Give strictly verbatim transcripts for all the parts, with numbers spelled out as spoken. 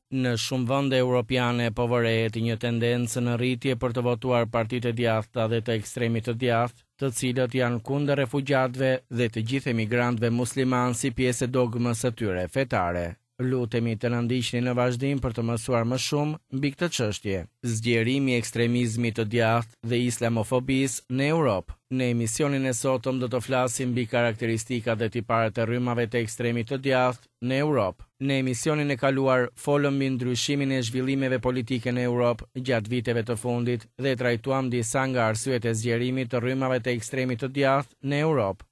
Në shumë vende europiane po vërehet një tendencë në rritje për të votuar partitë e djathta dhe të ekstremit të djathtë, të cilët janë kundër refugjatëve dhe të gjithë emigrantëve muslimanë si pjesë e dogmës së tyre fetare. Lutemi të na ndiqni në vazhdim për të mësuar më shumë mbi këtë çështje. Zgjerimi i ekstremizmit të djathtë dhe islamofobisë në Europë. Në emisionin e sotëm do të flasim mbi karakteristikat dhe tiparet e rrymave të ekstremit të djathtë në Europë. Në emisionin e kaluar folëm mbi ndryshimin e zhvillimeve politike në Europë gjatë viteve të fundit dhe trajtuam disa nga arsyet e zgjerimit të rrymave të ekstremit të djathtë në Europë.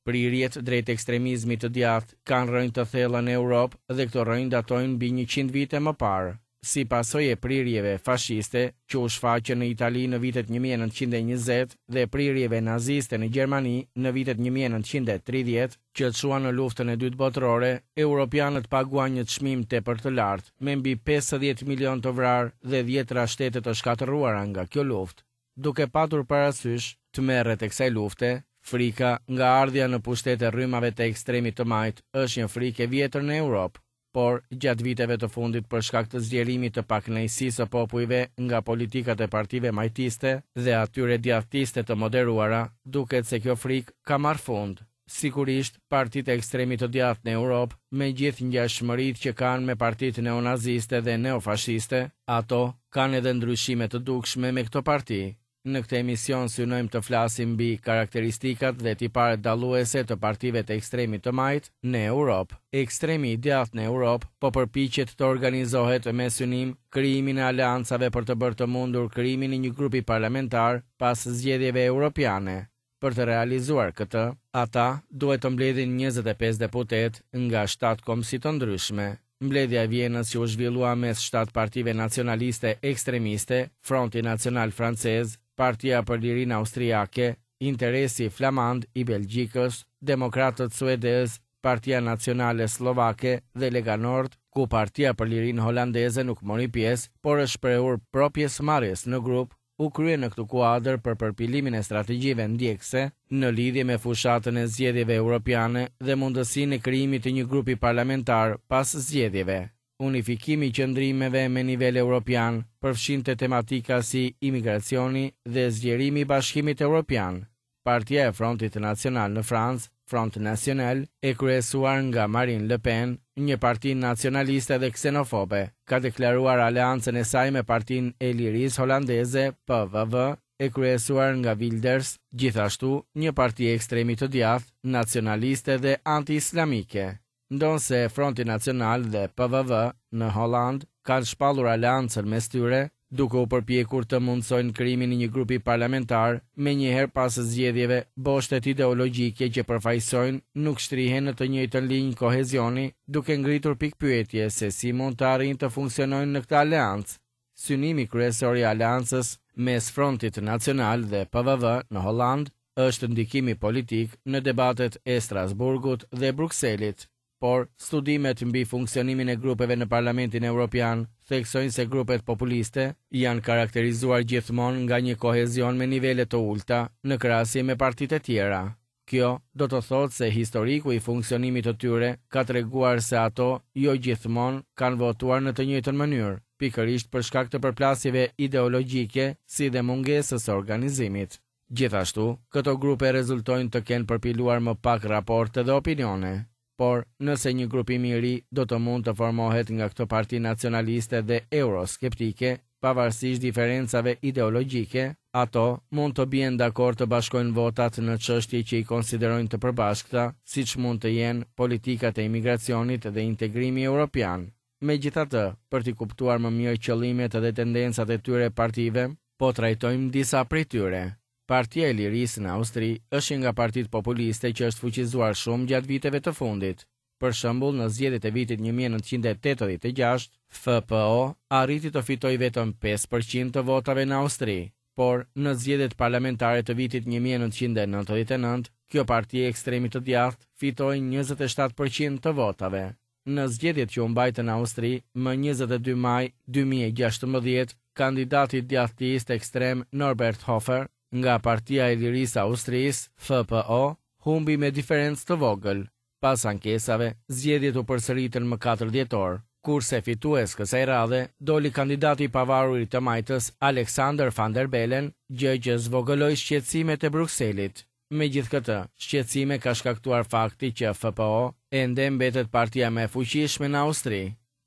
Prirjet drejt ekstremizmit të djathtë kanë rrënjë të thella në Europë dhe këto rrënjë datojnë mbi njëqind vite më parë. Si pasojë e prirjeve fashiste që u shfaqën në Itali në vitet një mijë e nëntëqind e njëzet dhe prirjeve naziste në Gjermani në vitet një mijë e nëntëqind e tridhjetë, që çuan në luftën e dytë botërore, europianët paguan një çmim tepër të lartë, me mbi pesëdhjetë milion të vrarë dhe dhjetra shtete të shkatërruara nga kjo luftë. Duke patur parasysh tmerret e kësaj lufte, frika nga ardhja në pushtet e rrymave të ekstremit të majtë është një frikë e vjetër në Europë, por gjatë viteve të fundit për shkak të zgjerimit të pakënaqësisë së popujve nga politikat e partive majtiste dhe atyre djathtiste të moderuara, duket se kjo frikë ka marrë fund. Sigurisht, partitë e ekstremit të djathtë në Europë, me gjithë ngjashmëritë që kanë me partitë neonaziste dhe neofashiste, ato kanë edhe ndryshime të dukshme me këto parti. Në këtë emision synojmë të flasim mbi karakteristikat dhe tiparet dalluese të partive të ekstremit të majtë në Europë. Ekstremi i djathtë në Europë po përpiqet të organizohet me synim krijimin e aleancave për të bërë të mundur krijimin e një grupi parlamentar pas zgjedhjeve europiane. Për të realizuar këtë, ata duhet të mbledhin njëzet e pesë deputet nga shtatë kombësi të ndryshme. Mbledhja e Vjenës që u zhvillua mes shtatë partive nacionaliste ekstremiste, Fronti Nacional Francez, Partia për Lirinë Austriake, Interesi Flamand i Belgjikës, Demokratët Suedez, Partia Nacionale Slovake dhe Lega Nord, ku Partia për Lirinë Holandeze nuk mori pjesë, por është shprehur pro pjesëmarrjes në grup, u krye në këtë kuadër për përpilimin e strategjive ndjekëse në lidhje me fushatën e zgjedhjeve europiane dhe mundësinë e krijimit të një grupi parlamentar pas zgjedhjeve. Unifikimi i qëndrimeve me nivel europian përfshinte tematika si imigracioni dhe zgjerimi i Bashkimit Evropian. Partia e Frontit Nacional në Francë, Front National, e kryesuar nga Marine Le Pen, një parti nacionaliste dhe ksenofobe, ka deklaruar aleancën e saj me Partinë e Lirisë Holandeze, P V V, e kryesuar nga Wilders, gjithashtu një parti e ekstremit të djathtë, nacionaliste dhe anti-islamike. Ndonëse Fronti Nacional dhe P V V në Holland kanë shpallur aleancën mes tyre, duke u përpjekur të mundsojnë krijimin e një grupi parlamentar, menjëherë pas zgjedhjeve, boshtet ideologjike që përfaqësojnë nuk shtrihen në të njëjtën linjë kohezioni, duke ngritur pikpyetje se si mund të arrijnë të funksionojnë në këtë aleancë. Synimi kryesor i aleancës mes Frontit Nacional dhe P V V në Holland është ndikimi politik në debatet e Strasburgut dhe Brukselit. Por, studimet mbi funksionimin e grupeve në Parlamentin Evropian theksojnë se grupet populiste janë karakterizuar gjithmonë nga një kohezion me nivele të ulta në krahasim me partitë e tjera. Kjo do të thotë se historiku i funksionimit të tyre ka treguar se ato jo gjithmonë kanë votuar në të njëjtën mënyrë, pikërisht për shkak të përplasjeve ideologjike si dhe mungesës së organizimit. Gjithashtu, këto grupe rezultojnë të kenë përpiluar më pak raporte dhe opinione. Por, nëse një grupim i ri do të mund të formohet nga këto parti nacionaliste dhe euroskeptike, pavarësisht diferencave ideologjike, ato mund të bien dakord të bashkojnë votat në çështje që i konsiderojnë të përbashkëta, siç mund të jenë politikat e imigracionit dhe integrimi europian. Megjithatë, për t'i kuptuar më mirë qëllimet dhe tendencat e tyre partive, po trajtojmë disa prej tyre. Partia e Lirisë në Austri është një nga partitë populiste që është fuqizuar shumë gjatë viteve të fundit. Për shembull, në zgjedhjet e vitit një mijë e nëntëqind e tetëdhjetë e gjashtë, F P O arriti të fitojë vetëm pesë për qind të votave në Austri, por në zgjedhjet parlamentare të vitit një mijë e nëntëqind e nëntëdhjetë e nëntë, kjo parti e ekstremit të djathtë fitoi njëzet e shtatë për qind të votave. Në zgjedhjet që u mbajtën në Austri më njëzet e dy maj dy mijë e gjashtëmbëdhjetë, kandidati djathtist ekstrem Norbert Hofer nga Partia e Lirisë Austrisë, F P O, humbi me diferencë të vogël. Pas ankesave, zgjedhjet u përsëritën më katër dhjetor, Kurse fitues kësaj radhe doli kandidati i pavarur i të majtës Alexander Van der Bellen, gjë që zvogëloi shqetësimet e Brukselit. Megjithëkëtë, shqetësime ka shkaktuar fakti që F P O ende mbetet partia më e fuqishme në Austri.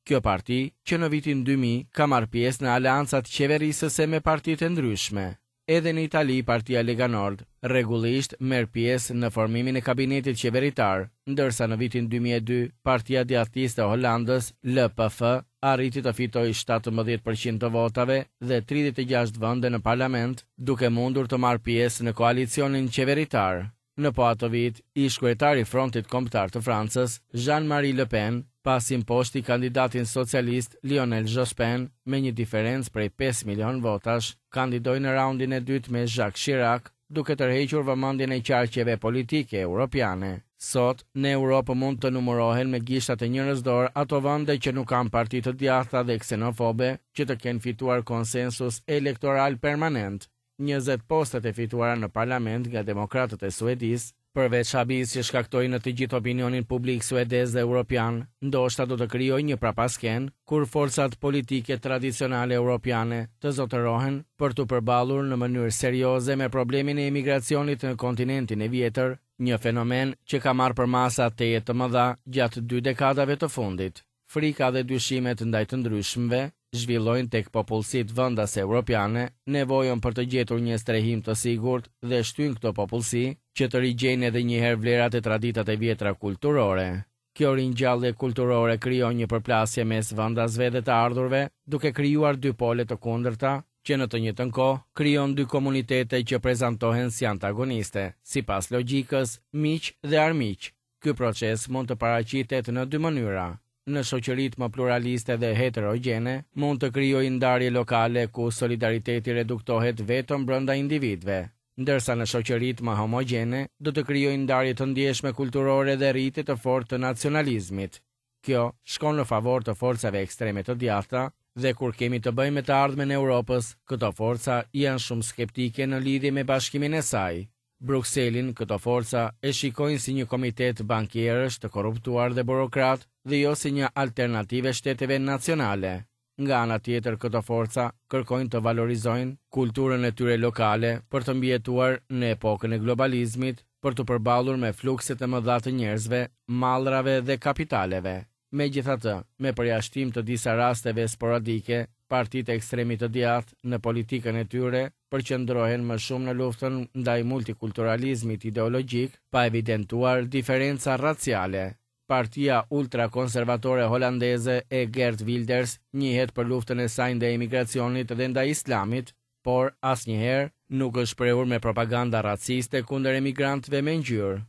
Kjo parti, që në vitin dy mijë, ka marrë pjesë në aleancat qeverisëse me partitë e ndryshme. Edhe në Itali, partia Lega Nord rregullisht merr pjesë në formimin e kabinetit qeveritar, ndërsa në vitin dy mijë e dy partia djathtiste e Holandës, L P F, arriti të fitojë shtatëmbëdhjetë për qind të votave dhe tridhjetë e gjashtë vende në parlament, duke mundur të marrë pjesë në koalicionin qeveritar. Në po atë vit, ish kryetari i Frontit Kombëtar të Francës, Jean-Marie Le Pen, pasi mposhti kandidatin socialist Lionel Jospin me një diferencë prej pesë milion votash, kandidoi në raundin e dytë me Jacques Chirac, duke tërhequr vëmendjen e qarqeve politike europiane. Sot, në Europë mund të numërohen me gishtat e njërës dorë ato vende që nuk kanë parti të djathta dhe ksenofobe që të kenë fituar konsensus elektoral permanent. njëzet postet e fituara në parlament nga demokratët e Suedisë, përveç habisë që shkaktoi në të gjithë opinionin publik suedez dhe europian, ndoshta do të krijojë një prapasken kur forcat politike tradicionale europiane të zotërohen për të përballur në mënyrë serioze me problemin e emigracionit në kontinentin e vjetër, një fenomen që ka marrë përmasa tejet të mëdha gjatë dy dekadave të fundit. Frika dhe dyshimet ndaj të ndryshmëve zhvillojnë tek popullsitë vendase europiane nevojën për të gjetur një strehim të sigurt dhe shtyn këto popullsi që të rigjejnë edhe një herë vlerat e traditat e vjetra kulturore. Kjo ringjallje kulturore krijon një përplasje mes vendasve dhe të ardhurve, duke krijuar dy pole të kundërta, që në të njëjtën kohë krijon dy komunitete që prezantohen si antagoniste, sipas logjikës miq dhe armiq. Ky proces mund të paraqitet në dy mënyra. Në shoqëritë më pluraliste dhe heterogjene, mund të krijojë ndarje lokale ku solidariteti reduktohet vetëm brenda individëve, ndërsa në shoqëritë më homogjene do të krijojë ndarje të ndjeshme kulturore dhe rritje të fortë të nacionalizmit. Kjo shkon në favor të forcave ekstreme të djathta dhe kur kemi të bëjmë me të ardhmen e Europës, këto forca janë shumë skeptike në lidhje me bashkimin e saj. Brukselin këto forca e shikojnë si një komitet bankierësh të korruptuar dhe burokrat dhe jo si një alternative shteteve nacionale. Nga ana tjetër, këto forca kërkojnë të valorizojnë kulturën e tyre lokale për të mbijetuar në epokën e globalizmit, për të përballur me flukset e mëdha të njerëzve, mallrave dhe kapitaleve. Megjithatë, me përjashtim të disa rasteve sporadike, partitë e ekstremit të djathtë në politikën e tyre përqendrohen më shumë në luftën ndaj multikulturalizmit ideologjik, pa evidentuar diferenca raciale. Partia ultrakonservatore holandeze e Geert Wilders njihet për luftën e saj ndaj emigracionit dhe ndaj islamit, por asnjëherë nuk është shprehur me propaganda raciste kundër emigrantëve me ngjyrë.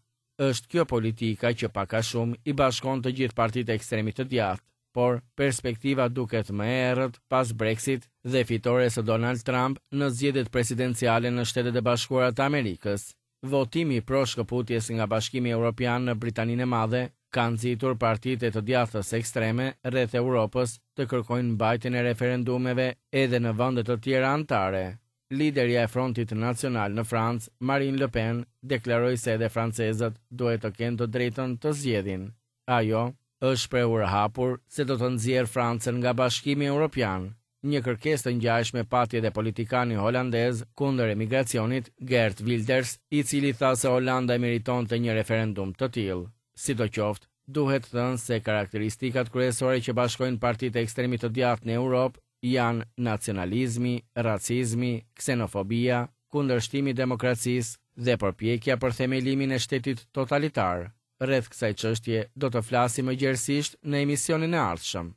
Është kjo politika që pak a shumë i bashkon të gjithë partitë e ekstremit të djathtë, por perspektiva duket më e errët pas Brexit dhe fitores së Donald Trump në zgjedhjet presidenciale në Shtetet e Bashkuara të Amerikës. Votimi pro shkëputjes nga Bashkimi Evropian në Britaninë e Madhe ka nxitur partitë e të djathtës ekstreme rreth Europës të kërkojnë mbajtjen e referendumeve edhe në vende të tjera anëtare. Liderja e Frontit Nacional në Francë, Marine Le Pen, deklaroi se edhe francezët duhet të kenë të drejtën të zgjedhin. Ajo është shprehur hapur se do të nxjerr Francën nga Bashkimi Evropian. Një kërkesë të ngjashme pati edhe politikani holandez kundër emigracionit, Geert Wilders, i cili tha se Holanda e meritonte një referendum të tillë. Sidoqoftë, duhet thënë se karakteristikat kryesore që bashkojnë partitë e ekstremit të djathtë në Europë janë nacionalizmi, racizmi, ksenofobia, kundërshtimi i demokracisë dhe përpjekja për themelimin e shtetit totalitar. Rreth kësaj çështje do të flasim më gjerësisht në emisionin e ardhshëm.